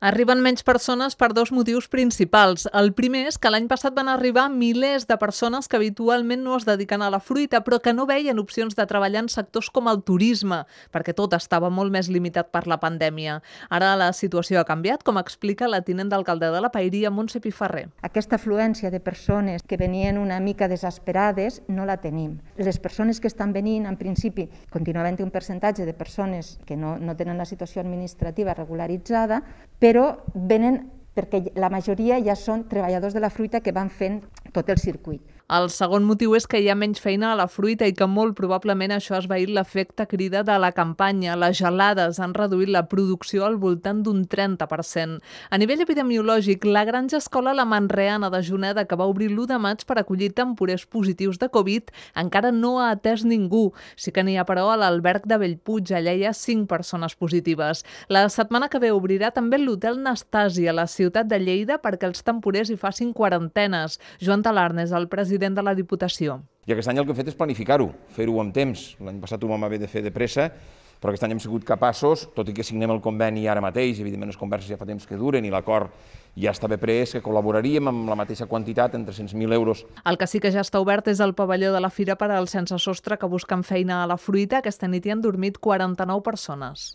Arriben menys persones per dos motius principals. El primer és que l'any passat van arribar milers de persones que habitualment no es dediquen a la fruita, però que no veien opcions de treballar en sectors com el turisme, perquè tot estava molt més limitat per la pandèmia. Ara la situació ha canviat, com explica la tinent d'alcalde de la Paeria, Montse Pifarré. Aquesta afluència de persones que venien una mica desesperades no la tenim. Les persones que estan venint, en principi, continua havent un percentatge de persones que no tenen la situació administrativa regularitzada, però venen perquè la majoria ja són treballadors de la fruita que van fent tot el circuit. El segon motiu és que hi ha menys feina a la fruita i que molt probablement això ha esvaït l'efecte crida de la campanya. Les gelades han reduït la producció al voltant d'un 30%. A nivell epidemiològic, la granja escola La Manreana de Juneda, que va obrir l'1 de maig per acollir temporers positius de Covid, encara no ha atès ningú. Sí que n'hi ha, però, a l'alberg de Bellpuig. Allà hi ha 5 persones positives. La setmana que ve obrirà també l'hotel Nastasi a la ciutat de Lleida perquè els temporers hi facin quarantenes. Joan Talarn és el president de la Diputació. I aquest any el que hem fet és planificar-ho, fer-ho amb temps. L'any passat ho vam haver de fer de pressa, però aquest any hem sigut capaços, tot i que signem el conveni ara mateix, evidentment les converses ja fa temps que duren i l'acord ja estava pres, que col·laboraríem amb la mateixa quantitat, en 300.000 euros. El que sí que ja està obert és el pavelló de la Fira per als sense sostre que busquen feina a la fruita. Aquesta nit hi han dormit 49 persones.